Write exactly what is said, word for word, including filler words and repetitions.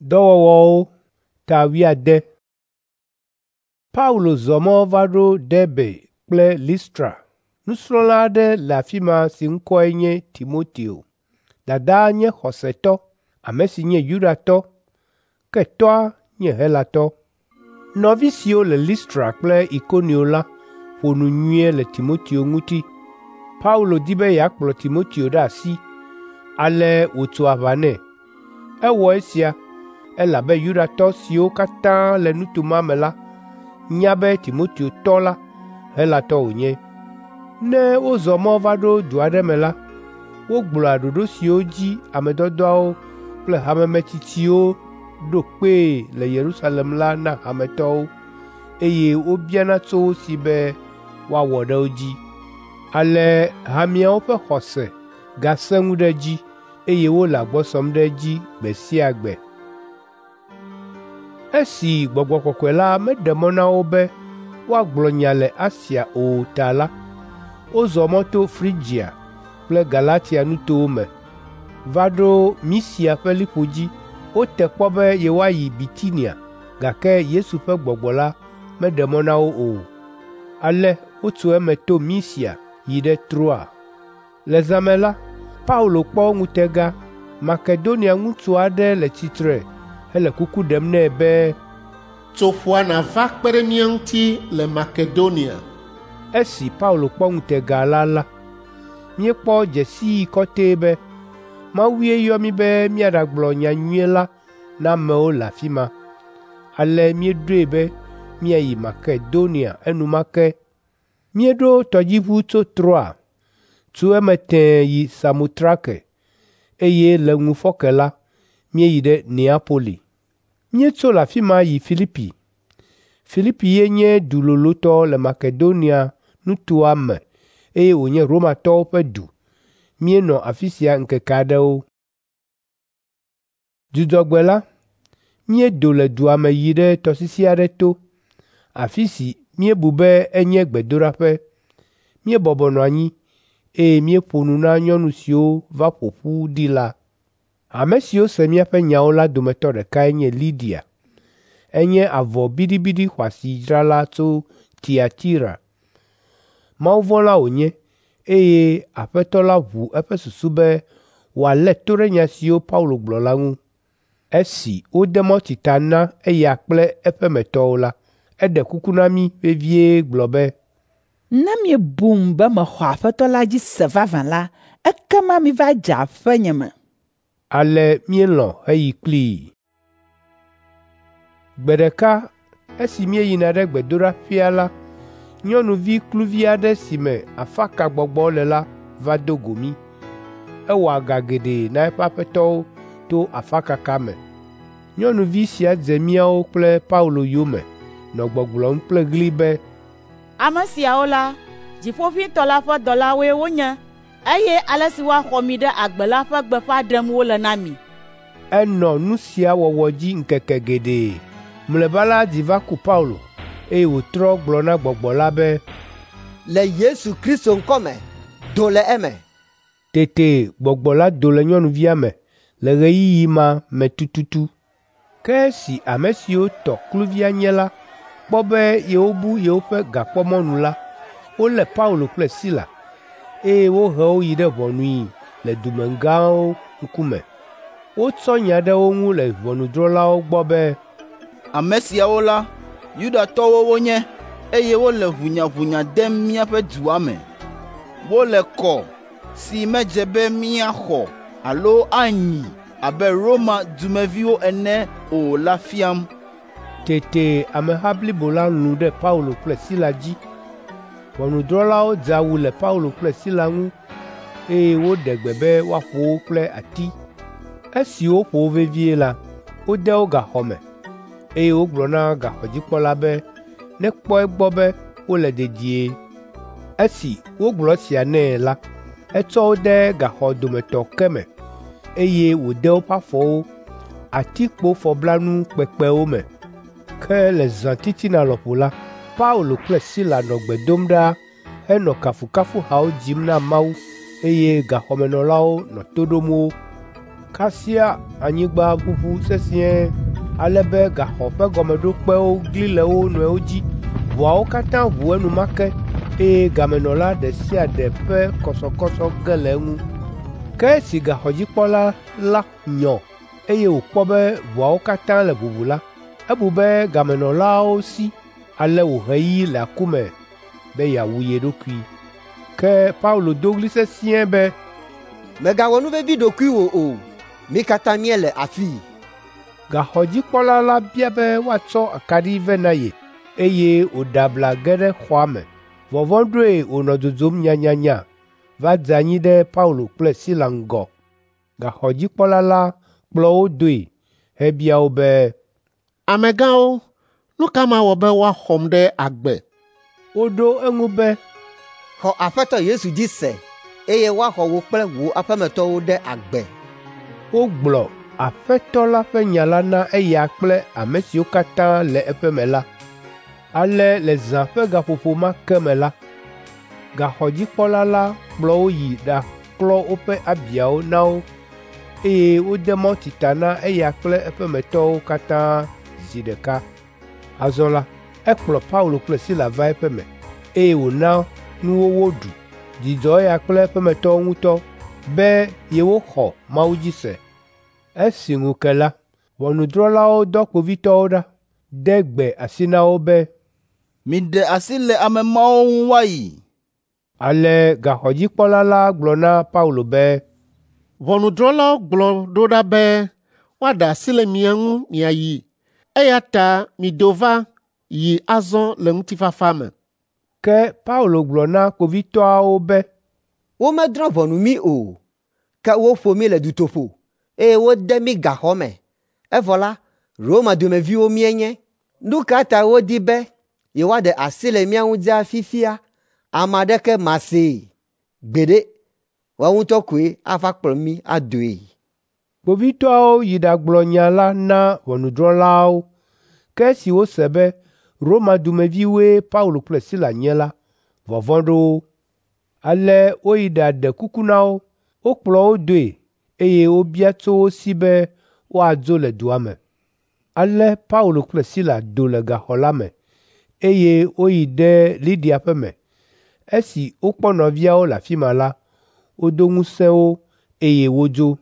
Dɔwɔwɔwo ta wuiade. Paulo zɔ mɔ va ɖo Derbe kple Listra. Nusrɔ̃la aɖe le afi ma si ŋkɔe nye Timoteo. Dadaa nye xɔsetɔ, ame si nye Yudatɔ, ke tɔ́a nye Helatɔ. Nɔvi siwo le Listra kple Ikonio la ƒo nu nyuie le Timoteo ŋuti. Paulo di be yeakplɔ Timoteo ɖe asi, ale wòtso aʋa nɛ. Ewɔ esia, elabe Yudatɔ siwo katã le nuto ma me la nya be Timoteo tɔ la, Helatɔ wònye. Ne wozɔ mɔ va ɖo du aɖe me la, wogblɔa ɖoɖo siwo dzi ame dɔdɔawo kple hamemetsitsiwo ɖo kpee le Yerusalem la na hametɔwo, eye wobiana tso wo si be woawɔ ɖe wo dzi. Ale hameawo ƒe xɔse gasẽ ŋu ɖe edzi, eye wole agbɔ sɔm ɖe edzi gbe sia gbe. Esi Gbɔgbɔ Kɔkɔe la meɖe mɔ na wo be woagblɔ nya le Asia o ta la, wozɔ mɔ to Frigia kple Galatia nutowo me va ɖo Misia ƒe liƒo dzi. Wote kpɔ be yewoayi Bitinia, gake Yesu ƒe Gbɔgbɔ la meɖe mɔ na wo o. Ale wotso eme to Misia yi ɖe Troa. Le zã me la, Paulo kpɔ ŋutega. Makedonia ŋutsu aɖe le tsitre hele kuku ɖem nɛ be, “Tso ƒua nàva kpe ɖe mía ŋuti le Makedonia.” Esi Paulo kpɔ ŋutega la la, míekpɔ dze sii kɔtɛe be Mawue yɔ mí be míaɖagblɔ nyanyui la na amewo le afi ma. Ale míeɖoe be míayi Makedonia enumake. Míeɖo tɔdziʋu tso Troa, tso eme tẽe yi Samotrake, eye le ŋufɔke la, míeyi ɖe Neapoli. Míetso le afi ma yi Filipi. Filipi ye nye du lolotɔ le Makedonia nutoa me eye wònye Romatɔwo ƒe du. Míenɔ afi sia ŋkeke aɖewo. Dzudzɔgbe la, míedo le dua me yi ɖe tɔsisi aɖe to, afi si míebu be enye gbedoɖaƒe. Míebɔbɔ nɔ anyi, eye míeƒo nu na nyɔnu siwo va ƒo ƒu ɖi la. Ame siwo se míaƒe nyawo la dometɔ ɖekae nye Lidia. Enye avɔ biɖibiɖi xɔasi dzrala tso Tiatira. Mawuvɔ̃la wònye, eye Aƒetɔ la ʋu eƒe susu be wòalé to ɖe nya siwo Paulo gblɔ la ŋu. Esi wode mawutsi ta na eya kple eƒemetɔwo la, eɖe kuku na mí vevie gblɔ be, “Ne miebum be mexɔ Aƒetɔ la dzi se vavã la, ekema miva dze aƒenye me.” Ale míelɔ̃ heyi kplii. Gbe ɖeka esi míeyina ɖe gbedoɖaƒea la, nyɔnuvi kluvi aɖe si me afakagbɔgbɔ le la va do go mí. Ewɔa ga geɖe na eƒe aƒetɔwo to afakaka me. Nyɔnuvi sia dze míawo kple Paulo yome nɔ gbɔgblɔm kple ɣli be, “Ame siawo la, Dziƒoʋĩtɔ la ƒe dɔlawoe wonye, eye ale si woaxɔ mi ɖe agbe la ƒe gbeƒã ɖem wole na mi.” Enɔ nu sia wɔwɔ dzi ŋkeke geɖe. Mlɔeba la dzi va ku Paulo, eye wòtrɔ gblɔ na gbɔgbɔ la be, “Le Yesu Kristo ŋkɔme, do le eme.” Tete gbɔgbɔ la do le nyɔnuvia me le ɣeyiɣi ma me tututu. Ke esi ame siwo tɔ kluvia nye la kpɔ be yewobu yewoƒe gakpɔmɔnu la, wolé Paulo kple Sila, eye wohe wo yi ɖe ʋɔnui le dumegãwo ŋkume. Wotsɔ nya ɖe wo ŋu le ʋɔnudrɔ̃lawo gbɔ be, “Ame siawo la, Yudatɔwo wonye, eye wole ʋunyaʋunya dem míaƒe dua me. Wole kɔ si medze be míaxɔ alo anyi abe Roma dumeviwo ene o la fiam.” Tete ameha blibo la lũ ɖe Paulo kple Sila dzi. Ʋɔnudrɔ̃lawo dze awu le Paulo kple Sila ŋu, eye woɖe gbe be woaƒo wo kple ati. Esi woƒo wo vevie la, wode wo gaxɔ me, eye wogblɔ na gaxɔdzikpɔla be nekpɔ egbɔ be wole dedie. Esi wogblɔ esia nɛ la, etsɔ wo de gaxɔ dometɔ ke me, eye wòde woƒe afɔwo atikpofɔblanu kpekpewo me. Ke le zã titina lɔƒo la, Paulo kple Sila nɔ gbe dom ɖa henɔ kafukafuhawo dzim na Mawu eye gaxɔmenɔlawo nɔ to ɖom wo. Kasia anyigba ʋuʋu sesĩe ale be gaxɔ ƒe gɔmeɖokpewo gli le wo nɔewo dzi. Ʋɔawo katã ʋu enumake eye gamenɔla ɖe sia ɖe ƒe kɔsɔkɔsɔ ge le eŋu. Ke esi gaxɔdzikpɔla la nyɔ eye wòkpɔ be ʋɔawo katã le ʋuʋu la, ebu be gamenɔlawo si ale wòhe yi le aku me be yeawu ye ɖokui. Ke Paulo do ɣli sesĩe be, Mègawɔ nu vevi ɖokuiwò o. Mí katã míele afii. Gaxɔdzikpɔla la bia be woatsɔ akaɖi vɛ na ye eye wòɖe abla ge ɖe xɔa me. Vɔvɔ̃ ɖoe wònɔ dzodzom nyanyanya va dze anyi ɖe Paulo kple Sila ŋgɔ. Gaxɔdzikpɔla la kplɔ wo doe hebia wo be, Amegãwo, nu ka mawɔ be woaxɔm ɖe agbe? Woɖo eŋu be, Xɔ Aƒetɔ Yesu dzi se eye woaxɔ wò kple wò aƒemetɔwo ɖe agbe. Wogblɔ Aƒetɔ la ƒe nya la na eya kple ame siwo katã le eƒe me la. Ale le zã ƒe gaƒoƒo ma ke me la, gaxɔdzikpɔla la kplɔ wo yi ɖaklɔ woƒe abiawo na wo eye wode mawutsi ta na eya kple eƒemetɔwo katã zi ɖeka. Azɔ la, ekplɔ Paulo kple Sila va eƒe me eye wòna nuwo woɖu. Dzi dzɔ eya kple eƒemetɔwo ŋutɔ be yewoxɔ Mawu dzi se. Esi ŋu ke la, ʋɔnudrɔ̃lawo dɔ kpovitɔwo ɖa, de gbe asi na wo be, Miɖe asi le ame mawo ŋu woayi. Ale gaxɔdzikpɔla la gblɔ na Paulo be, Ʋɔnudrɔ̃lawo gblɔ ɖo ɖa be woaɖe asi le mia ŋu miayi eya ta mido va yi azɔ le ŋutifafa me. Ke Paulo gblɔ na kpovitɔawo be, Womedrɔ̃ ʋɔnu mí o, ke woƒo mí le dutoƒo eye wode mí gaxɔ me. Evɔ la, Roma dumeviwo míenye. Nu ka ta wodi be yewoaɖe asi le mía ŋu dzaa fifia? Ame aɖeke masee. Gbeɖe, woawo ŋutɔ koe ava kplɔ mí adoe. Kpovitɔawo yi ɖagblɔ nya la na ʋɔnudrɔ̃lawo. Ke esi wose be Roma dumeviwoe Paulo kple Sila nye la, vɔvɔ̃ ɖo wo. Ale woyi ɖaɖe kuku na wo. Wokplɔ wo doe eye wobia tso wo si be woadzo le dua me. Ale Paulo kple Sila do le gaxɔ la me eye woyi ɖe Lidia ƒe me. Esi wokpɔ nɔviawo le afi ma la, wodo ŋusẽ wo eye wodzo.